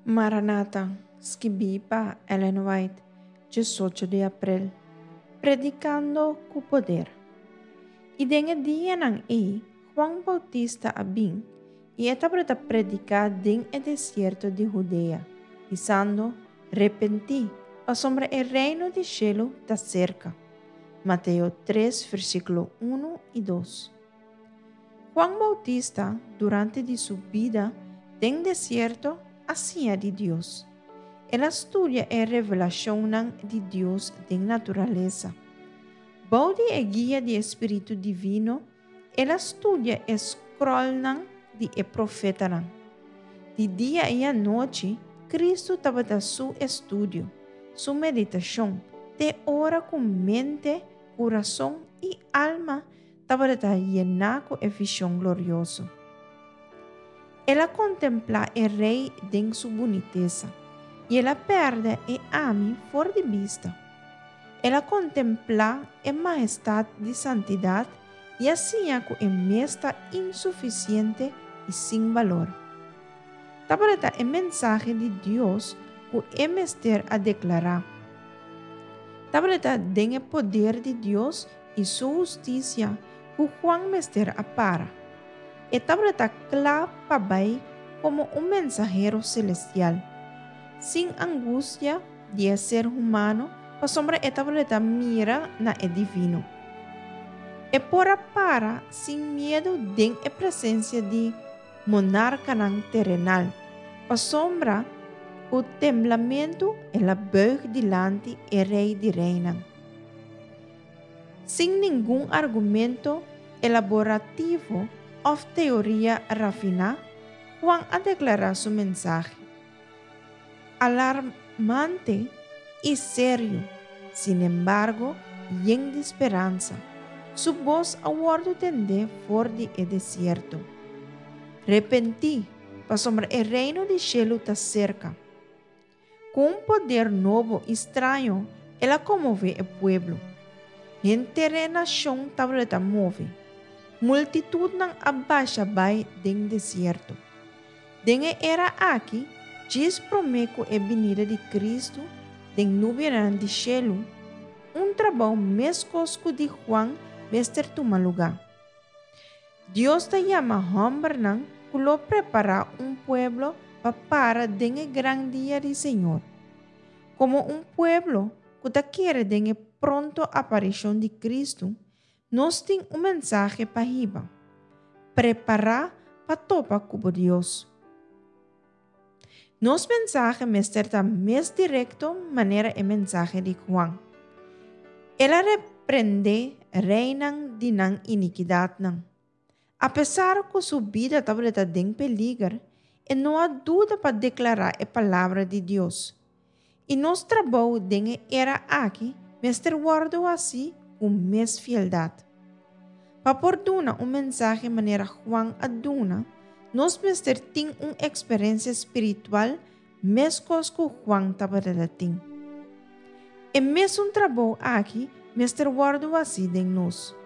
Maranata, skibí pa Ellen White, 18 di aprel. Predikando ku poder. I den e dianan ei, Juan Boutista a bin, i e tabata prediká den e desierto di Hudea, bisando, Repentí, pasobra e reino di shelu ta serka. Mateo 3, versíkulo 1 i 2. Juan Boutista, durante di su bida den desierto, a siña di Dios. El a studia e revelashonnan di Dios den naturalesa. Bou di e guia di e Spiritu Divino, el a studia e scrollnan di e profetanan. Di dia i anochi, Kristu tabata su estudio, su meditashon, te ora ku mente, kurason i alma tabata yená ku e vishon glorioso. El a kontemplá e Rei den su bunitesa, i el a pèrdè e ami for di bista. El a kontemplá e mahestat di santidat i a siña ku e mes ta insufisiente i sin balor. Tabata e mensahe di Dios ku e mester a deklará. Tabata den e poder di Dios i su hustisia ku Juan mester a para. E tabata kla pa bai komo un mensahero selestial, sin angustia di e ser humano pasobra e tabata mira na e divino. E por a para sin miedu den e presensia di monarkanan terenal, pasobra ku temblamentu el a buig dilanti e Rei di reinan. Sin ningun argumento elaborativo òf teoria rafiná, Juan a deklará su mensahe. Alarmante i serio, sinembargo yen di speransa, su bos a wòrdu tendé for di e desierto, Repentí, pasobra e Reino di shelu ta serka. Ku un poder nobo i straño el a konmové e pueblo. Henter e nashon tabata move. Multitutnan a basha bai den desierto. Den e era aki, djis promé ku e binida di Kristu den nubianan di shelu, un trabou meskos ku di Juan mester tuma lugá. Dios ta yama hòmbernan ku lo prepará un pueblo pa para den e gran dia di Señor. Komo un pueblo ku ta kere den e pronto aparishon di Kristu, nos tin un mensahe pa hiba, Prepará pa topa ku bo Dios. Nos mensahe mester ta mes direkto manera e mensahe di Juan. El a reprendé reinan di nan inikidatnan. Apesar ku su bida tabata den peliger, e no a duda pa deklará e palabra di Dios. I nos trabou den e era aki mester wòrdu hasí ku mes fieldat. Pa por duna un mensahe manera Juan a duna, nos mester tin un eksperensia spiritual meskos ku Juan tabata tin. E mesun trabou aki mester wòrdu hasí den nos.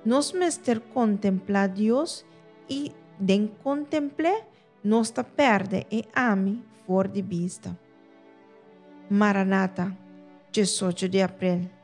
Nos mester kontemplá Dios i den kontempl'é Nos ta pèrdè e ami for di bista. Maranata, 18 di aprel.